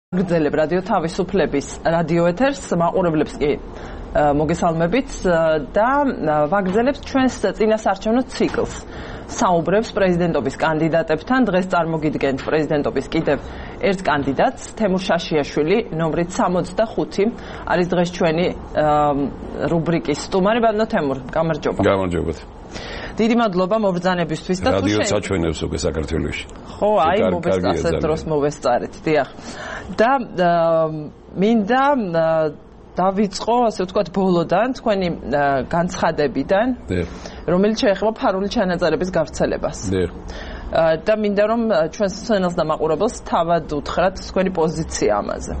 გრძელებ რადიო თავისუფლების რადიო ეთერს მაყურებლებს კი მოგესალმებით და ვაგრძელებთ ჩვენს წინასარჩევნო ციკლს. საუბრებს პრეზიდენტობის კანდიდატებთან. დღეს წარმოგიდგენთ პრეზიდენტობის კიდევ ერთ კანდიდატს, თემურ შაშიაშვილი, ნომრით 65 არის დღეს ჩვენი რუბრიკის სტუმარი. ბატონო თემურ, გამარჯობა. გამარჯობათ. დიდი მადლობა მობრძანებისთვის და რადიო საჩვენებს უკვე საქართველოში. ხო, აი მოვესწარეთ დროს მოვესწარეთ, დიახ. და მინდა დავიწყო, ასე ვთქვათ, ბოლოდან, თქვენი განცხადებიდან, რომელიც შეეხება ფარული ჩანაწერების გავრცელებას. და მინდა რომ ჩვენს სცენას და მაყურებელს თავად უთხრათ თქვენი პოზიცია ამაზე.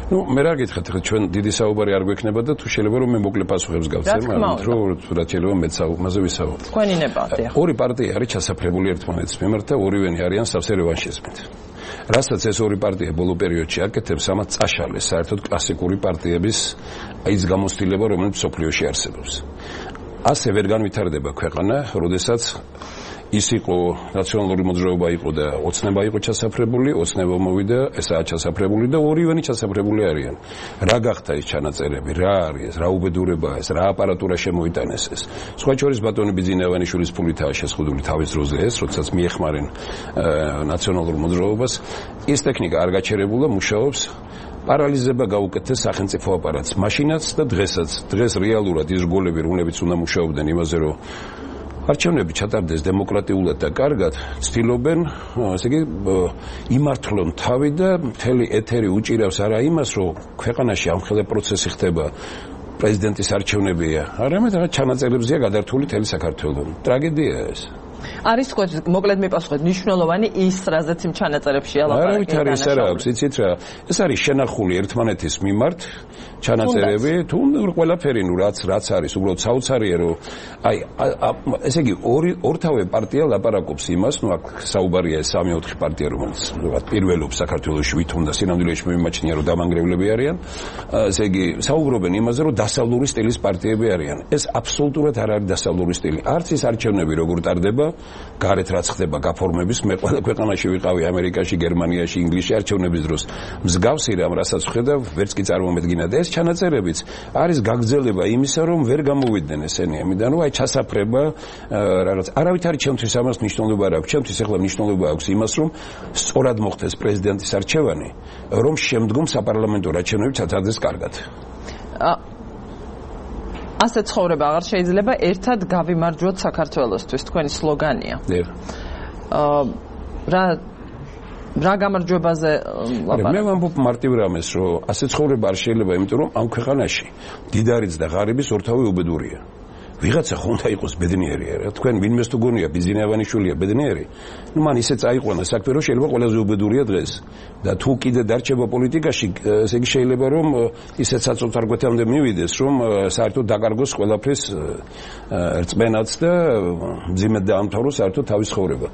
მე რა გითხრათ, ჩვენ დიდი საუბარი არ გვექნება და თუ შეიძლება რომ მე მოკლე პასუხებს გავცემ, მაგრამ რა შეიძლება მეც ამაზე ვისაუბროთ. თქვენი ნება. ორი პარტია არის ჩასაფრებული ერთმანეთის მიმართ და ორივენი არიან სავსე რევანშიზმით. რასაც ეს ორი პარტია ბოლო პერიოდში აკეთებს, ამას წაშალეს საერთოდ კლასიკური პარტიების ის გამოცდილება, რომელიც სოფლიოში არსებობს. ასე ვერ განვითარდება ქვეყანა, როდესაც ის იყო ნაციონალური მოძრაობა იყო და ოცნება იყო ჩასაფრებული, ოცნება მოვიდა, ესაა ჩასაფრებული და ორივენი ჩასაფრებული არიან. რა გახდა ეს ჩანაწერები, რა არის, რა უბედურებაა ეს, რა აპარატურა შემოიტანეს ეს. სხვა შორის ბატონი ბიძინავანიშვილის ფულითაა შესყიდული თავის დროზე ეს, როდესაც მიეხმარენ ნაციონალურ მოძრაობას, ის ტექნიკა არ გაჩერებულა, მუშაობს. პარალიზება გაუკეთეს სახელმწიფო აპარატს, მაშინაც და დღესაც. დღეს რეალურად ის რგოლები, რომლებიც უნდა მუშაობდნენ იმაზე, რომ არჩევნები ჩატარდეს დემოკრატიულად და კარგად, ცდილობენ, ასე იგი, იმართლონ თავი და მთელი ეთერი უჭირავს არა იმას, რომ ქვეყანაში ამხელა პროცესი ხდება, პრეზიდენტის არჩევნებია, არამედ რაღაც ჩანაწერებზეა გადართული მთელი საქართველო. ტრაგედია ეს. არის თქვენ მოკლედ მიპასუხეთ, მნიშვნელოვანი ის, რაზეც იმ ჩანაწერებში ალაპარაკეთ. არავით არის არა აქვს, იცით რა, ეს არის შენახული ერთმანეთის მიმართ ჩანაწერები, თუ ყველაფერი, რაც არის, უბრალოდ საოცარია, რომ აი, ესე იგი, ორთავე პარტია ლაპარაკობს იმას, აქ საუბარია 3-4 პარტია, რომელიც პირველობს საქართველოში, ვით უნდა სინამდვილეში მიმაჩნია, რომ დამანგრევლები არიან, ესე იგი, საუბრობენ იმაზე, რომ დასავლური სტილის პარტიები არიან. ეს აბსოლუტურად არ არის დასავლური სტილი. არც ის არჩევნები როგორ ტარდება, გარეთ რაც ხდება გაფორმების, მე ყველა ქვეყანაში ვიყავი, ამერიკაში, გერმანიაში, ინგლისში არჩევნების დროს. მსგავსი რამ, რასაც ვხედავ, ვერც კი წარმომედგინა და ეს ჩანაწერებიც არის გაგრძელება იმისა, რომ ვერ გამოვიდნენ ესენი ამიდან, რომ აი ჩასაფრება რაღაც. არავით არის ჩემთვის ამას მნიშვნელობა არ აქვს. ჩემთვის ახლა მნიშვნელობა აქვს იმას, რომ სწორად მოხდეს პრეზიდენტის არჩევანი, რომ შემდგომ საპარლამენტო არჩევნები ჩატარდეს კარგად. ასე ცხოვრება აღარ შეიძლება, ერთად გავიმარჯვოთ საქართველოსთვის, თქვენი სლოგანია. რა გამარჯვებაზე ლაპარაკობთ? მე ვამბობ მარტივ რამეს, რომ ასე ცხოვრება არ შეიძლება, იმიტომ რომ ამ ქვეყანაში დიდარიც და ღარიბის ორთავე უბედურია. ვიღაცა ხო უნდა იყოს ბედნიერი არა? თქვენ ვინმეს თუ გონია ბიძინავანიშვილია ბედნიერი? მან ისე წაიყვანა საქმე, რომ შეიძლება ყველაზე უბედურია დღეს. და თუ კიდე დარჩება პოლიტიკაში, ესე იგი შეიძლება რომ ისეთ საწოლთარგვეთამდე მივიდეს, რომ საერთოდ დაკარგოს ყველაფრის რწმენაც და მძიმედ დაამთავროს საერთოდ თავის ცხოვრება.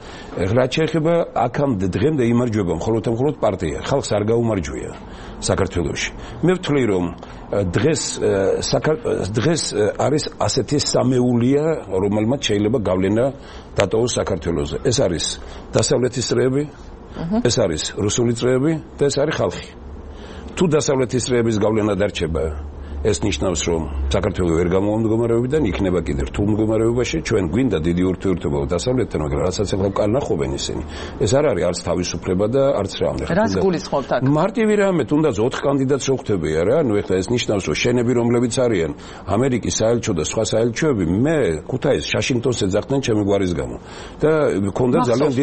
რა შეეხება აქამდე დღემდე იმარჯვება მხოლოდ პარტია, ხალხს არ გაუმარჯვია საქართველოში. მე ვთვლი რომ დღეს არის ასეთი სამეულია, რომელმაც შეიძლება გავლენა დატოვოს საქართველოზე. ეს არის დასავლეთის წრეები, ეს არის რუსული წრეები და ეს არის ხალხი. თუ დასავლეთის წრეების გავლენა დარჩება, ეს ნიშნავს, რომ საქართველო ვერ გამომდგომარეობიდან იქნება კიდევ რთულ მდგომარეობაში, ჩვენ გვინდა დიდი ურთიერთობა დასავლეთთან, მაგრამ რასაც ახლა კანახობენ ისინი. ეს არ არის არც თავისუფლება და არც რამე. რას გულისხმობთ აქ? მარტივი რამე, თუნდაც 4 კანდიდატს რო ხვდებია რა, ნუ ეხლა ეს ნიშნავს, რომ შენები რომლებიც არიან, ამერიკის საელჩო და სხვა საელჩოები, მე ქუთაისს, შაშინგტონს ეძახდნენ ჩემი გვარის გამო. და მქონდა ძალიან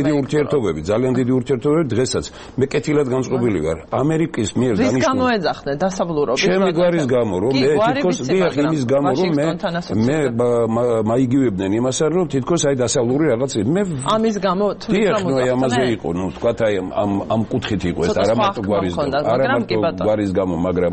დიდი ურთიერთობები, დღესაც მე კეთილად განწყობილი ვარ. ამერიკის მიერ დანიშნული. რის გამო ეძახდნენ დასავლურობის? ჩემი გვარის გამო. მე თითქოს დიახ იმის გამო რომ მე მაიგივებდნენ იმასთან რომ თითქოს აი დასავლური რაღაც მე ამის გამო თვითონ ამაზე იყო ნუ თქვათ აი ამ კუთხით იყო ეს არა მარტო გვარის გამო მაგრამ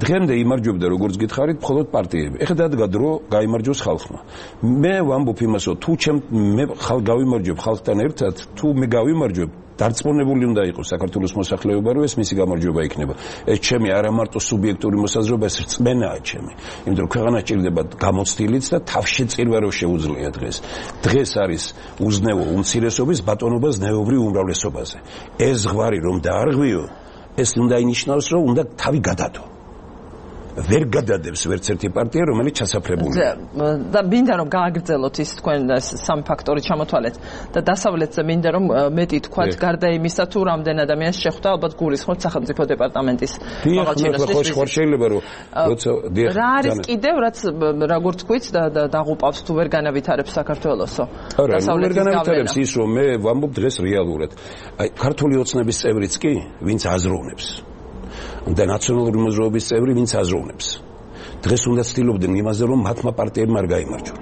დღემდე იმარჯვებდა როგორც გითხარით მხოლოდ პარტიები ეხლა დადგა დრო გაიმარჯვოს ხალხმა მე ვამბობ იმას რომ თუ მე გავიმარჯვებ ხალხთან ერთად თუ მე გავიმარჯვებ დარწმუნებული უნდა იყოს საქართველოს მოსახლეობა, რომ ეს მისი გამარჯვება იქნება. ეს ჩემი არა მარტო სუბიექტური მოსაზრება, ეს რწმენაა ჩემი. იმიტომ რომ ქვეყანა ჭირდება გამოცდილიც და თავშეწირვა რო შეუძლია დღეს. დღეს არის უზნეო უმცირესობის ბატონობას ზნეობრივ უმრავლესობაზე. ეს ზღვარი რომ დაარღვიო, ეს უნდა ინიშნავს, რომ უნდა თავი გადადო. ვერ გადადებს ვერც ერთი პარტია, რომელიც ჩასაფრებულია. და მინდა რომ გააგრძელოთ ის თქვენ სამი ფაქტორი ჩამოთვალეთ და დასავლეთზე მინდა რომ მეტი თქვათ გარდა იმისა თუ რამდენ ადამიანს შეხვდა ალბათ გულისხმობთ სახელმწიფო დეპარტამენტის მაღალჩინოსთვის. ხო შეიძლება რომ როცა რა არის კიდევ რაც როგორ თქვით დაღუპავს თუ ვერ განავითარებს საქართველოსო. დასავლეთის ვერ განავითარებს ის რომ მე ვამბობ დღეს რეალურად. აი ქართული ოცნების წევრიც კი ვინც აზროვნებს. და ნაციონალური მოძრაობის წევრი ვინც აზროვნებს. დღეს უნდა ცდილობდნენ იმაზე რომ მათმა პარტიებმა არ გაიმარჯვონ.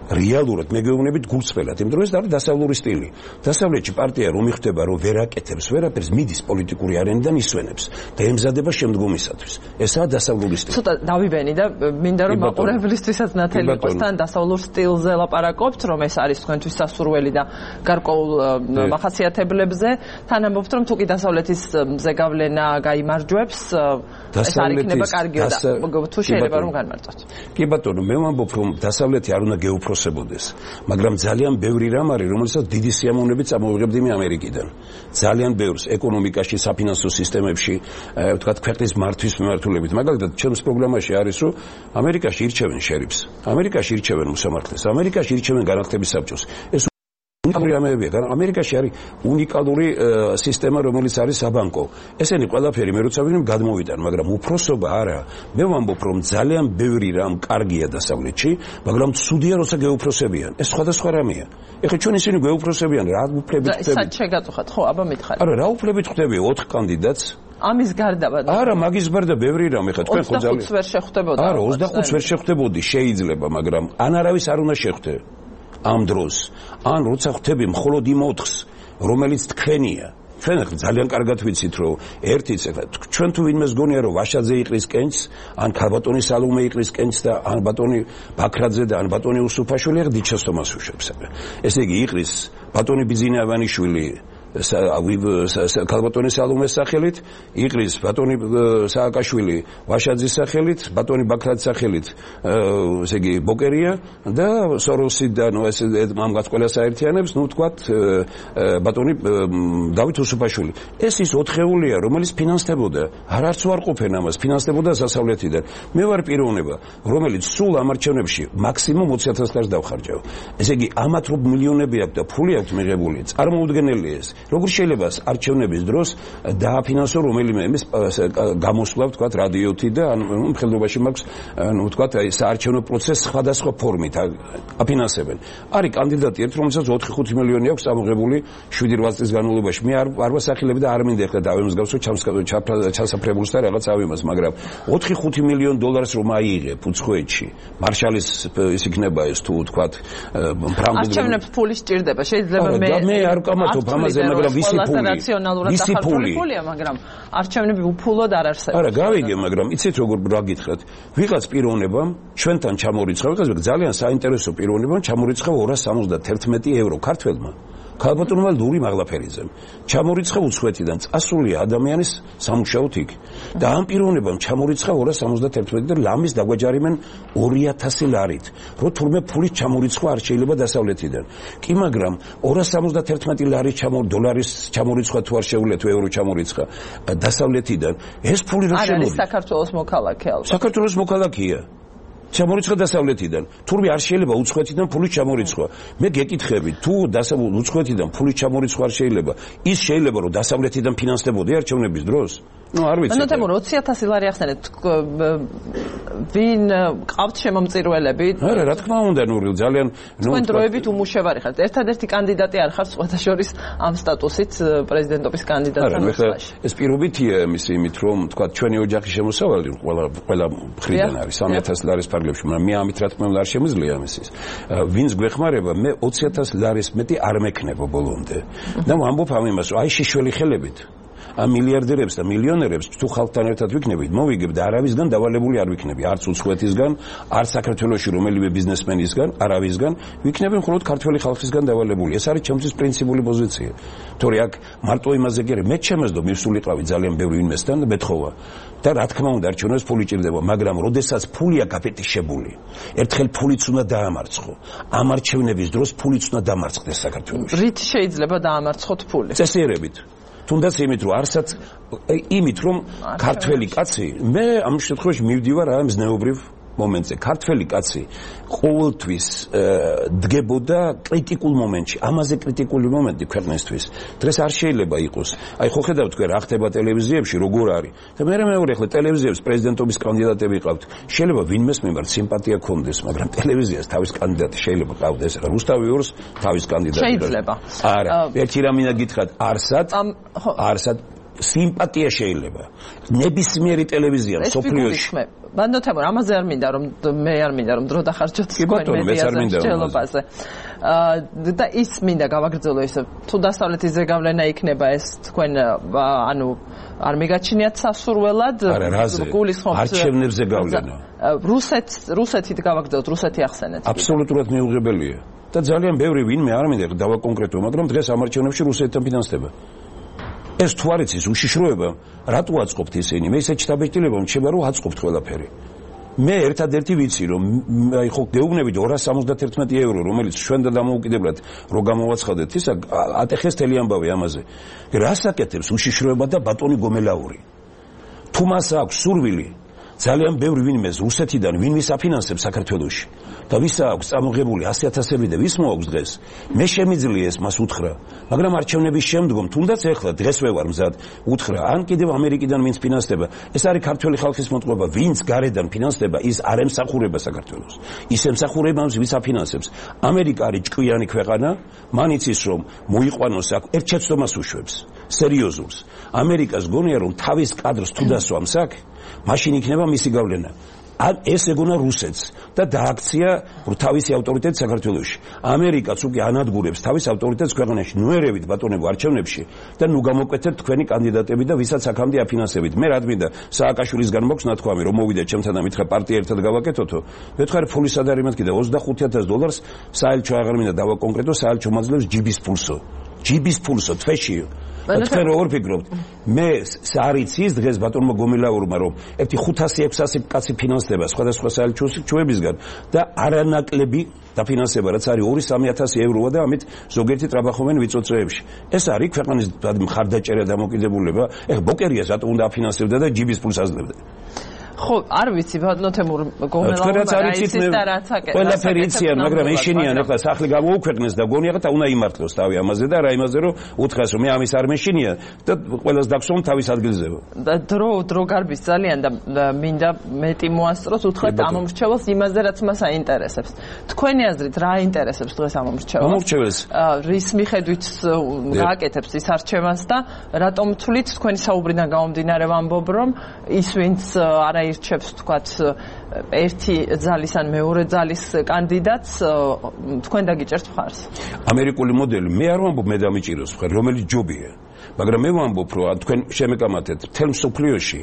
რეალურად მე გეუბნებით გულწრფელად, იმიტომ რომ ეს არის დასავლური სტილი. დასავლეთში პარტია რომ იხდება რომ ვერ აკეთებს ვერაფერს, მიდის პოლიტიკური არენიდან ისვენებს და ემზადება შემდგომისათვის. ესაა დასავლური სტილი. ცოტა დავიბენი და მინდა რომ მაყურებლისთვისაც ნათელი იყოს თან დასავლურ სტილზე ლაპარაკობთ, რომ ეს არის თქვენთვის სასურველი და გარკვეულ მახასიათებლებზე, თან ამბობთ რომ თუ კი დასავლეთის ზეგავლენა გაიმარჯვებს, ეს არ იქნება კარგი და თუ შეიძლება რომ განმარტოთ. კი ბატონო, მე ვამბობ რომ დასავლეთი არ უნდა გეუფროსებოდეს, მაგრამ ძალიან ბევრი რამ არის, რომელსაც დიდი სიამოვნებით წამოვიღებდი მე ამერიკიდან. ძალიან ბევრს ეკონომიკაში, საფინანსო სისტემებში, ვთქვათ, ქვეყნის მართვის მიმართულებით. მაგალითად, ჩემს პროგრამაში არის, რომ ამერიკაში ირჩევენ შერიფს, ამერიკაში ირჩევენ მოსამართლეს, ამერიკაში ირჩევენ განათლების საბჭოს. ეს ამერიკაში არის უნიკალური სისტემა, რომელიც არის საბანკო. ესენი ყველაფერი მე როცა ვინმე გადმოვიტან, მაგრამ უფროსობა არა. მე ვამბობ, რომ ძალიან ბევრი რამ კარგია დასავლეთში, მაგრამ ცუდია, როცა გეუფროსებიან. ეს სხვადასხვა რამეა. ეხლა ჩვენ ისინი გეუფროსებიან, რა უფლებით ხდება? საერთოდ შეგატუხათ, ხო, აბა მითხარი. არა, რა უფლებით ხდება 4 კანდიდატს? ამის გარდა არა, მაგის გარდა ბევრი რამ, ეხლა თქვენ ხო ძალიან 25 ვერ შეხვდებოდა. არა, 25 ვერ შეხვდებოდი, შეიძლება, მაგრამ ან არავის არ უნდა შეხვდე. ამ დროს ან როცა ხვდები მხოლოდ იმ 4-ს, რომელიც თქვენია. ჩვენ ძალიან კარგად ვიცით, რომ ერთიც ეხლა ჩვენ თუ ვინმეს გონია, რომ ვაშაძე იყრის კენჭს, ან ქალბატონი სალომე იყრის კენჭს და ან ბატონი ბაქრაძე და ან ბატონი უსუფაშვილი ახ დიდ შეცდომას უშვებს. ესე იგი იყრის ბატონი ბიძინა ავანიშვილი ქალბატონი სალომეს სახელით, იყრის ბატონი სააკაშვილი ვაშაძის სახელით, ბატონი ბაქრაძის სახელით, ესე იგი ბოკერია და სოროსი და ნუ ეს ამგვარად ყველა საერთიანებს, ნუ ვთქვათ ბატონი დავით უსუფაშვილი. ეს ის 4-ეულია, რომელიც ფინანსდებოდა. არც უარყოფენ ამას, ფინანსდებოდა დასავლეთიდან. მე ვარ პიროვნება, რომელიც სულ ამ არჩევნებში მაქსიმუმ 20,000 ლარს დავხარჯავ. ესე იგი ამათ რო მილიონები აქვს და ფული აქვს მიღებული, წარმოუდგენელია ეს. როგორ შეიძლება არჩევნების დროს დააფინანსო რომელიმე იმის გამოსვლა, ვთქვათ, რადიოთი და ანუ მხედრობაში მაქვს, ანუ ვთქვათ, აი საარჩევნო პროცესს სხვადასხვა ფორმით აფინანსებენ. არის კანდიდატი ერთ, რომელსაც 4-5 მილიონი აქვს ამოღებული 7-8 წლის განმავლობაში. მე არ ვასახელებ და არ მინდა ეხლა დავემსგავსო ჩასაფრებულს და რაღაც ავიმას, მაგრამ 4-5 მილიონ დოლარს რომ აიღებ უცხოეთში, მარშალის ის იქნება ეს თუ ვთქვათ, არჩევნებს ფული სჭირდება. შეიძლება მე არ ვკამათობ ამაზე, მაგრამ ვისი ფულია, მაგრამ არჩევნები უფულოდ არ არსებობს. არა, გავიგე, მაგრამ იცით როგორ რა გითხრათ? ვიღაც პიროვნებამ ჩვენთან ჩამორიცხა, ვიღაც ძალიან საინტერესო პიროვნებამ ჩამორიცხა 271 евро ქართველმა. ქალბატონმა ლური მაღლაფერიძემ ჩამორიცხა უცხოეთიდან წასული ადამიანის სამუშაოდ იქ და ამ პიროვნებამ ჩამორიცხა 271 და ლამის დაგვაჯარიმენ 2000 ლარით, რომ თურმე ფული ჩამორიცხვა არ შეიძლება დასავლეთიდან. კი, მაგრამ 271 ლარის დოლარის ჩამორიცხვა თუ არ შეუძლია თუ ევრო ჩამორიცხა დასავლეთიდან, ეს ფული რა შემოვიდა? არის საქართველოს მოქალაქე ალბათ. საქართველოს მოქალაქეა. ჩამორიცხა დასავლეთიდან. თურმე არ შეიძლება უცხოეთიდან ფული ჩამორიცხვა. მე გეკითხები, თუ უცხოეთიდან ფული ჩამორიცხვა არ შეიძლება, ის შეიძლება რომ დასავლეთიდან ფინანსდებოდი არჩევნების დროს? ნუ არ ვიცი. ანუ თემურ 20,000 ლარი ახსენეთ. ვინ ყავთ შემომწირველები? არა, რა თქმა უნდა, ნუ ძალიან თქვენ დროებით უმუშევარი ხართ. ერთადერთი კანდიდატი არ ხართ სხვათა შორის ამ სტატუსით პრეზიდენტობის კანდიდატთან მოსვლაში. ეს პირობითია იმით, რომ თქვა ჩვენი ოჯახის შემოსავალი ყველა მხრიდან არის 3,000 ლარის ფარგლებში, მაგრამ მე ამით რა თქმა უნდა არ შემიძლია ამის. ვინც გვეხმარება, მე 20,000 ლარის მეტი არ მექნება ბოლომდე. და ვამბობ ამ იმას, რომ აი შიშველი ხელებით ამ მილიარდერებს და მილიონერებს თუ ხალხთან ერთად ვიქნებით, მოვიგებ და არავისგან დავალებული არ ვიქნები, არც უცხოეთისგან, არც საქართველოში რომელიმე ბიზნესმენისგან, არავისგან, ვიქნები მხოლოდ ქართველი ხალხისგან დავალებული. ეს არის ჩემთვის პრინციპული პოზიცია. თორე აქ მარტო იმაზე კი არა, მე ჩემსდო მივსულიყავი ძალიან ბევრი ვინმესთან და მეთხოვა. და რა თქმა უნდა, არჩევნებს ფული ჭირდება, მაგრამ როდესაც ფულია გაფეტიშებული, ერთხელ ფულიც უნდა დაამარცხო. ამ არჩევნების დროს ფულიც უნდა დამარცხდეს საქართველოში. რით შეიძლება დაამარცხოთ ფული? წესიერებით. თუნდაც იმით რომ ქართველი კაცი მე ამ შემთხვევაში მივდივარ ამ ზნეობრივ მომენტზე ქართველი კაცი ყოველთვის დგებოდა კრიტიკულ მომენტში ამაზე კრიტიკული მომენტი ქვეყნისთვის დღეს არ შეიძლება იყოს აი ხო ხედავთ თქვენ რა ხდება ტელევიზიებში როგორ არის და მე მეორე ხელ ტელევიზიებს პრეზიდენტობის კანდიდატები ყავთ შეიძლება ვინმეს მიმართ სიმპათია ქონდეს მაგრამ ტელევიზიას თავის კანდიდატი შეიძლება ყავდეს რა რუსთავი ორს თავის კანდიდატი შეიძლება არა ერთი რამინა გითხრათ არსად სიმპათია შეიძლება ნებისმიერი ტელევიზია სოფლიოში ბანდოთემურ ამაზე არ მინდა რომ დრო დახარჯოთ თქვენ მედიაზე შეელობაზე და ის მინდა გავაგრძელო ისე თუ დასავლეთის ზეგავლენა იქნება ეს თქვენ ანუ არ მიგაჩნიათ სასურველად გულისხმობთ არჩევნებზე გავლენა რუსეთით გავაგრძელოთ რუსეთი ახსენეთ აბსოლუტურად მიუღებელია და ძალიან ბევრი ვინმე არ მინდა დავაკონკრეტო მაგრამ დღეს ამ არჩევნებში რუსეთთან ფინანსდება ეს თუ არ იცის უშიშროება რატო აწყობთ ისინი მე ისე ჩდაბეჭდილება მჩება რომ აწყობთ ყველაფერი მე ერთადერთი ვიცი რომ აი ხო გეუბნებით 271 евро რომელიც ჩვენ და დამოუკიდებლად რო გამოვაცხადეთ ისა ატეხეს თელი ამბავი ამაზე რას აკეთებს უშიშროება და ბატონი გომელაური თუ მას აქვს სურვილი ძალიან ბევრი ვინმე რუსეთიდან ვინმის აფინანსებს საქართველოში და ვის აქვს წამოღებული 100,000-ები და ვის მოაქვს დღეს მე შემიძლია ეს მას უთხრა მაგრამ არჩევნების შემდგომ თუნდაც ეხლა დღესვე ვარ მზად უთხრა ან კიდევ ამერიკიდან ვინც ფინანსდება ეს არის ქართველი ხალხის მოტყუება ვინც გარედან ფინანსდება ის არ ემსახურება საქართველოს ის ემსახურება ამს ვის აფინანსებს ამერიკა არის ჭკვიანი ქვეყანა მან იცის რომ მოიყვანოს აქ ერთ შეცდომას უშვებს სერიოზულს ამერიკას გონია რომ თავის კადრს თუ დასვამს აქ მაშინ იქნება მისი გავლენა ეს ეგონა რუსეთს და დააქცია თავისი ავტორიტეტი საქართველოში ამერიკაც უკვე ანადგურებს თავის ავტორიტეტს ქვეყანაში ნუ ერევით ბატონებო არჩევნებში და ნუ გამოკვეთებთ თქვენი კანდიდატები და ვისაც აქამდე აფინანსებით მე რა მინდა სააკაშვილისგან მოქვს ნათქვამი რომ მოვიდა ჩემთან და მითხრა პარტია ერთად გავაკეთოთო მეთხარი ფულის არ არის მეთქი და $25,000 საელჩო აღარ მინდა დავაკონკრეტო საელჩო მაძლევს ჯიბის ფულსო თვეში თქვენ როგორ ფიქრობთ მე არიცის დღეს ბატონმა გომელაურმა რომ ერთი 500-600 კაცი ფინანსდება სხვადასხვა საელჩოებისგან და არანაკლები დაფინანსება რაც არის 2-3,000 ევროა და ამით ზოგიერთი ტრაბახობენ ვიწოწრეებში ეს არის ქვეყნის მხარდაჭერა დამოკიდებულება ეხლა ბოკერიას რატო უნდა აფინანსებდა და ჯიბის ფულს აძლევდა ხო არ ვიცი ბატონთემურ გომელაურმა რა იცის და რაც აკეთებს ყველაფერი იციან მაგრამ ეშინიან ახლა სახლი გამოუქვეყნეს და გონია და უნდა იმართლოს თავი ამაზე და რა იმაზე რომ უთხრას რომ მე ამის არ მეშინია და ყველას დაქსვამ თავის ადგილზე და დრო გარბის ძალიან და მინდა მეტი მოასწროს უთხრათ ამ მომრჩეველს იმაზე რაც მას აინტერესებს თქვენი აზრით რა აინტერესებს დღეს ამ მომრჩეველს რის მიხედვით გააკეთებს ის არჩევანს და რატომ თვლით თქვენი საუბრიდან გამომდინარე ვამბობ რომ ის ვინც არა ირჩევს თქვათ ერთი ძალის ან მეორე ძალის კანდიდატს თქვენ დაგიჭერთ მხარს ამერიკული მოდელი მე არ ვამბობ მე დამიჭიროს მხარ რომელიც ჯობია მაგრამ მე ვამბობ რომ თქვენ შემეკამათეთ მთელ მსოფლიოში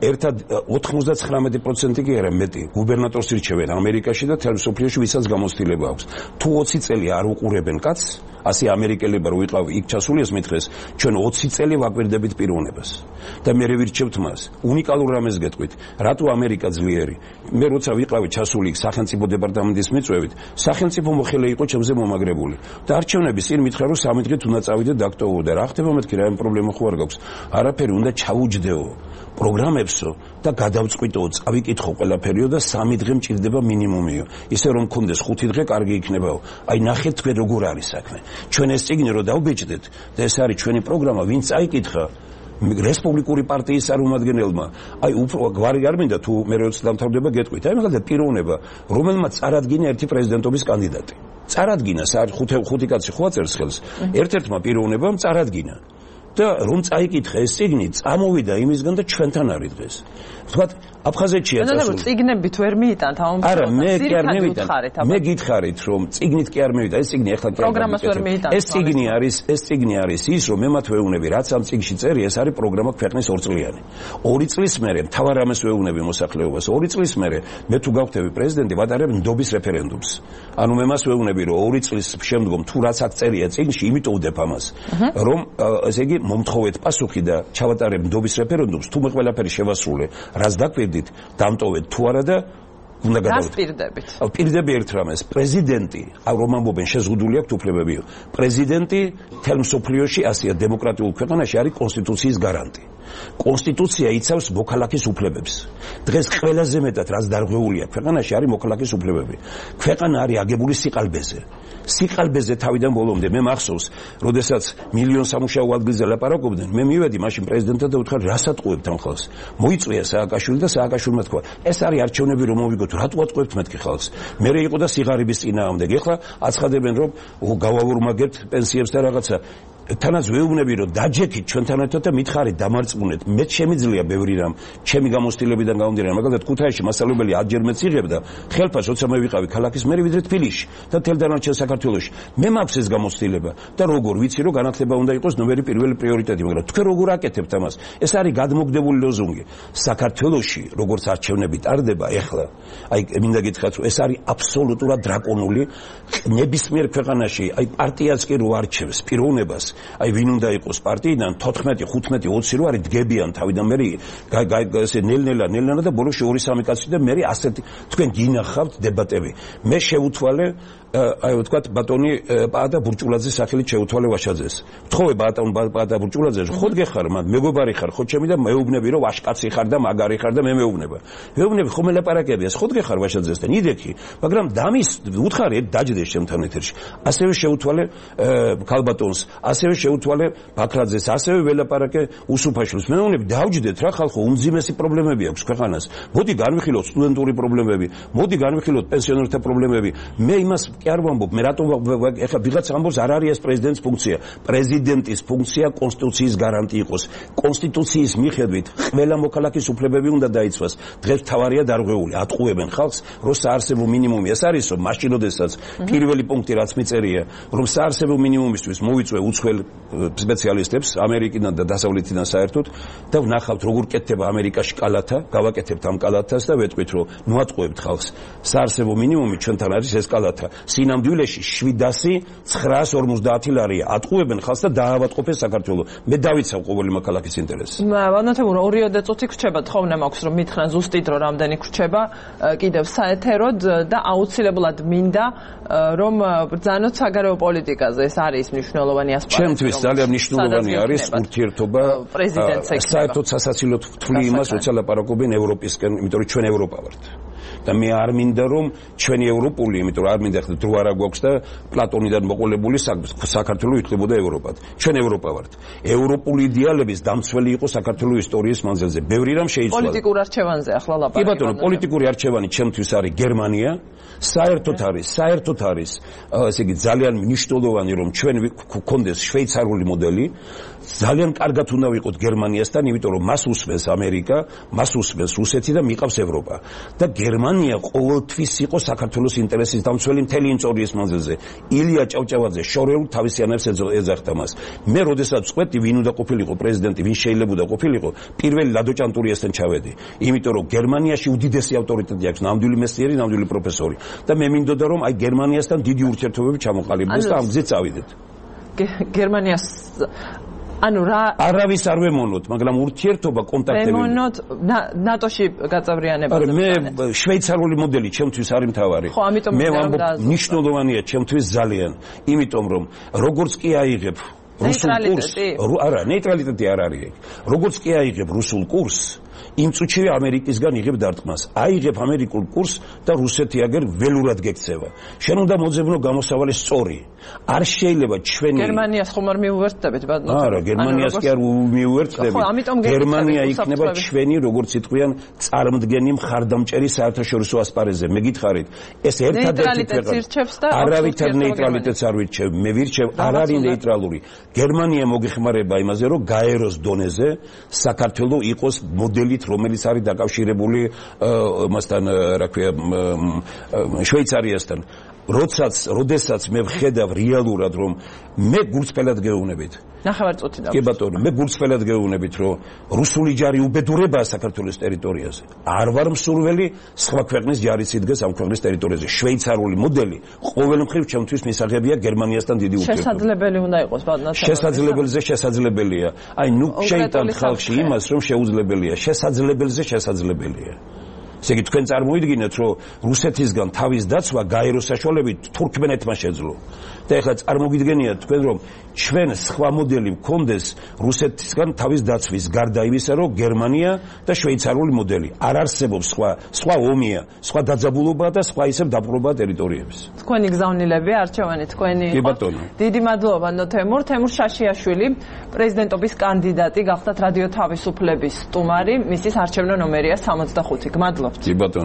ერთად 99% კი არა მეტი გუბერნატორს ირჩევენ ამერიკაში და მთელ მსოფლიოში ვისაც გამოცდილება აქვს თუ 20 წელი არ უყურებენ კაცს ასე ამერიკელებმა რო ვიყავი იქ ჩასულიეს მითხეს ჩვენ 20 წელი ვაკვირდებით პიროვნებას და მე ვირჩევთ მას უნიკალურ რამეს გეტყვით რატო ამერიკა ძლიერი მე როცა ვიყავი ჩასული იქ სახელმწიფო დეპარტამენტის მიწვევით სახელმწიფო მოხელე იყო ჩემზე მომაგრებული და არჩევნების წინ მითხრა რომ 3 დღით უნდა წავიდე დაქტოვო და რა ხდება მეთქი რა პრობლემა ხო არ გაქვს არაფერი უნდა ჩავუჯდეო პროგრამებსო და გადავწყვიტო წავიკითხო ყველაფერიო და 3 დღე მჭირდება მინიმუმიო ისე რომ მქონდეს 5 დღე კარგი იქნებაო აი ნახეთ თქვენ როგორ არის საქმე ჩვენ ეს წიგნი რო დავბეჭდეთ და ეს არის ჩვენი პროგრამა ვინც წაიკითხა რესპუბლიკური პარტიის წარმომადგენელმა აი უფრო გვარი არ მინდა თუ მე როცა დამთავრდება გეტყვით აი მაგალითად პიროვნება რომელმაც წარადგინა ერთი პრეზიდენტობის კანდიდატი წარადგინა ხუთი კაცი ხო აწერს ხელს ერთ-ერთმა პიროვნებამ წარადგინა და რომ წაიკითხა ეს წიგნი წამოვიდა იმისგან და ჩვენთან არის დღეს ვთქვათ აფხაზეთშია წასული წიგნებით ვერ მიიტანთ ამ არა მე კი არ მივიტან მე გითხარით რომ წიგნით კი არ მივიტან ეს წიგნი ახლა პროგრამას ვერ მიიტანთ ეს წიგნი არის ის რომ მე მათ ვეუბნები რაც ამ წიგნში წერია ეს არის პროგრამა ქვეყნის 2 წლიანი 2 წლის მერე მთავარ რამეს ვეუბნები მოსახლეობას 2 წლის მერე მე თუ გავხდები პრეზიდენტი ვატარებ ნდობის რეფერენდუმს ანუ მე მას ვეუბნები რომ 2 წლის შემდგომ თუ რაც აქ წერია წიგნში იმიტომ ვდებ ამას რომ ესე იგი მომთხოვეთ პასუხი და ჩავატარებ ნდობის რეფერენდუმს თუ მე ყველაფერი შევასრულე რაც დაკვირდით დამტოვეთ თუ არა და უნდა გადავიდეთ. გასპირდებით. პირდები ერთ რამეს, პრეზიდენტი, რომ ამბობენ შეზღუდული აქვს უფლებები. პრეზიდენტი მთელ მსოფლიოში ასია დემოკრატიულ ქვეყანაში არის კონსტიტუციის გარანტი. კონსტიტუცია იცავს მოქალაქის უფლებებს. დღეს ყველაზე მეტად რაც დარღვეულია ქვეყანაში არის მოქალაქის უფლებები. ქვეყანა არის აგებული სიყალბეზე. სიყალბეზე თავიდან ბოლომდე მე მახსოვს, როდესაც მილიონ სამუშაო ადგილზე ლაპარაკობდნენ, მე მივედი მაშინ პრეზიდენტთან და ვთქვა, რას ატყუებთ ამ ხალხს? მოიწვია სააკაშვილი და სააკაშვილმა თქვა, ეს არის არჩევნები რომ მოვიგოთ, რატო ატყუებთ მეთქი ხალხს? მე იყო და სიღარიბის წინააღმდეგ. ეხლა აცხადებენ რომ გავავორმაგებთ პენსიებს და რაღაცა. თანაც ვეუბნები რომ დაჯექით ჩვენთან ერთად და მითხარით დამარწმუნეთ. მე შემიძლია ბევრი რამ ჩემი გამოცდილებიდან გამომდინარე, მაგალითად ქუთაისში მასწავლებელი 10 მეც იღებდა ხელფას, როცა მე ვიყავი ქალაქის მერი ვიდრე თბილისში და თელ დანარჩენ საქართველოში. მე მაქვს ეს გამოცდილება და როგორ ვიცი რომ განათლება უნდა იყოს ნომერი პირველი პრიორიტეტი, მაგრამ თქვენ როგორ აკეთებთ ამას? ეს არის გადმოგდებული ლოზუნგი. საქართველოში როგორც არჩევნები ტარდება ეხლა, აი მინდა გითხრათ რომ ეს არის აბსოლუტურად დრაკონული. ნებისმიერ ქვეყანაში აი პარტიაც კი რო არჩევს პიროვნებას, აი ვინ უნდა იყოს პარტიიდან 14, 15, 20 რო არის დგებიან თავიდან მე ესე ნელ-ნელა და ბოლოს 2-3 კაცი და მე ასეთი თქვენ გინახავთ დებატები. მე შევუთვალე აი ვთქვათ ბატონი პაატა ბურჭულაძის სახელით შეუთვალე ვაშაძეს. ვთხოვე ბატონ პაატა ბურჭულაძეს, ხოდ გეხარ, მეგობარი ხარ, ხო ჩემი და მეუბნები რომ ვაშკაცი ხარ და მაგარი ხარ და მე მეუბნება. მეუბნები ხომ ელაპარაკებია, ხოდ გეხარ ვაშაძესთან, იდექი, მაგრამ დამის უთხარი დაჯდეს ჩემთან ეთერში. ასევე შეუთვალე ქალბატონს, ასევე შეუთვალე ბაქრაძეს, ასევე ველაპარაკე უსუფაშვილს. მეუბნები დავჯდეთ რა ხალხო, უმძიმესი პრობლემები აქვს ქვეყანას. მოდი განვიხილოთ სტუდენტური პრობლემები, მოდი განვიხილოთ პენსიონერთა პრობლემები. მე იმას კი არ ვამბობ, მე რატომ ეხლა ვიღაც ამბობს არ არის ეს პრეზიდენტის ფუნქცია. პრეზიდენტის ფუნქცია კონსტიტუციის გარანტი იყოს. კონსტიტუციის მიხედვით ყველა მოქალაქის უფლებები უნდა დაიცვას. დღეს თავარია დარღვეული, ატყუებენ ხალხს, რომ საარსებო მინიმუმი ეს არის, რომ მაშინ როდესაც პირველი პუნქტი რაც მიწერია, რომ საარსებო მინიმუმისთვის მოვიწვე უცხოელ სპეციალისტებს ამერიკიდან და დასავლეთიდან საერთოდ და ვნახავთ როგორ კეთდება ამერიკაში კალათა, გავაკეთებთ ამ კალათას და ვეტყვით რომ ნუ ატყუებთ ხალხს. საარსებო მინიმუმი ჩვენთან არის ეს კალათა. სინამდვილეში 750 ლარია. ატყუებენ ხალხს და დაავადყოფენ საქართველოს. მე დავიცავ ყოველი მოქალაქის ინტერესს. ბანათებურო 2 წუთი გრჩება, თხოვნა მაქვს რომ მითხრან ზუსტით რომ რამდენი გრჩება კიდევ საეთეროდ და აუცილებლად მინდა რომ ბრძანოთ საგარეო პოლიტიკაზე. ეს არის მნიშვნელოვანი ასპექტი. ჩემთვის ძალიან მნიშვნელოვანი არის ურთიერთობა პრეზიდენტს ეკნება. საერთოდ სასაცილოდ ვთვლი იმას, როცა ლაპარაკობენ ევროპისკენ, იმიტომ რომ ჩვენ ევროპა ვართ. და მე არ მინდა რომ ჩვენი ევროპული, იმიტომ რომ არ მინდა ხდა დრო არა გვაქვს და პლატონიდან მოყოლებული საქართველო ითვლებოდა ევროპად. ჩვენ ევროპა ვართ. ევროპული იდეალების დამცველი იყო საქართველოს ისტორიის მანძილზე. ბევრი რამ შეიცვალა. პოლიტიკურ არჩევანზე ახლა ლაპარაკობენ. კი ბატონო, პოლიტიკური არჩევანი ჩემთვის არის გერმანია. საერთოდ არის, ესე იგი ძალიან მნიშვნელოვანი რომ ჩვენ გვქონდეს შვეიცარიული მოდელი. ძალიან კარგად უნდა ვიყოთ გერმანიასთან, იმიტომ რომ მას უსვენს ამერიკა, მას უსვენს რუსეთი და მიყავს ევროპა. და გერმანია ყოველთვის იყო საქართველოს ინტერესის დამცველი მთელი ისტორიის მანძილზე. ილია ჭავჭავაძე შორეულ თავისიანებს ეძახდა მას. მე როდესაც წყვეტი ვინ უნდა ყოფილიყო პრეზიდენტი, ვინ შეიძლება ყოფილიყო, პირველი ლადო ჭანტურიასთან ჩავედი. იმიტომ რომ გერმანიაში უდიდესი ავტორიტეტი აქვს, ნამდვილი მეცნიერი, ნამდვილი პროფესორი. და მე მინდოდა რომ აი გერმანიასთან დიდი ურთიერთობები ჩამოყალიბდეს და ამ გზით წავიდეთ. გერმანიას ანუ რა არავის არ ვემონოთ, მაგრამ ურთიერთობა კონტაქტები ვემონოთ ნატოში გაწევრიანებაზე. მე შვეიცარიული მოდელი ჩემთვის არის მთავარი. მე ვამბობ მნიშვნელოვანია ჩემთვის ძალიან, იმიტომ რომ როგორც კი აიღებ რუსულ კურსს, არა, ნეიტრალიტეტი არ არის ეგ. როგორც კი აიღებ რუსულ კურსს, იმ წუთშივე ამერიკისგან იღებ დარტყმას. აიღებ ამერიკულ კურსს და რუსეთი აგერ ველურად გექცევა. შენ უნდა მოძებნო გამოსავალი სწორი. არ შეიძლება ჩვენი გერმანიას ხომ არ მიუვერთდებით ბატონო? არა, გერმანიას კი არ მიუვერთდებით. გერმანია იქნება ჩვენი, როგორც იტყვიან, წარმდგენი მხარდამჭერი საერთაშორისო ასპარეზზე. მე გითხარით, ეს ერთადერთი ქვეყანა. არავითარ ნეიტრალიტეტს არ ვირჩევ. მე ვირჩევ არ არის ნეიტრალური. გერმანია მოგეხმარება იმაზე, რომ გაეროს დონეზე საქართველოს იყოს მოდელით, რომელიც არის დაკავშირებული მასთან, რა ქვია, შვეიცარიასთან. როდესაც მე ვხედავ რეალურად რომ მე გულწრფელად გეუბნებით. ნახევარწუთი და. კი ბატონო, მე გულწრფელად გეუბნებით რომ რუსული ჯარი უბედურებაა საქართველოს ტერიტორიაზე. არ ვარ მსურველი სხვა ქვეყნის ჯარიც იდგეს ამ ქვეყნის ტერიტორიაზე. შვეიცარიული მოდელი ყოველ მხრივ ჩემთვის მისაღებია გერმანიასთან დიდი ურთიერთობა. შესაძლებელი უნდა იყოს ბატონო. შესაძლებელზე შესაძლებელია. აი ნუ შეიტანთ ხალხში იმას რომ შეუძლებელია. შესაძლებელზე შესაძლებელია. ესე იგი თქვენ წარმოიდგინეთ, რომ რუსეთისგან თავის დაცვა გაეროს საშუალებით თურქმენეთმა შეძლო. და ეხლა წარმოგიდგენიათ თქვენ, რომ ჩვენ სხვა მოდელი მქონდეს რუსეთისგან თავის დაცვის გარდა იმისა, რომ გერმანია და შვეიცარიული მოდელი არ არსებობს სხვა ომია, სხვა დაძაბულობა და სხვა ისევ დაპყრობა ტერიტორიების. თქვენი გზავნილები არჩევანი თქვენი კი ბატონო. დიდი მადლობა თემურ შაშიაშვილი პრეზიდენტობის კანდიდატი გახდათ რადიო თავისუფლების სტუმარი, მისის არჩევნო ნომერია 65. გმადლობთ. კი ბატონო.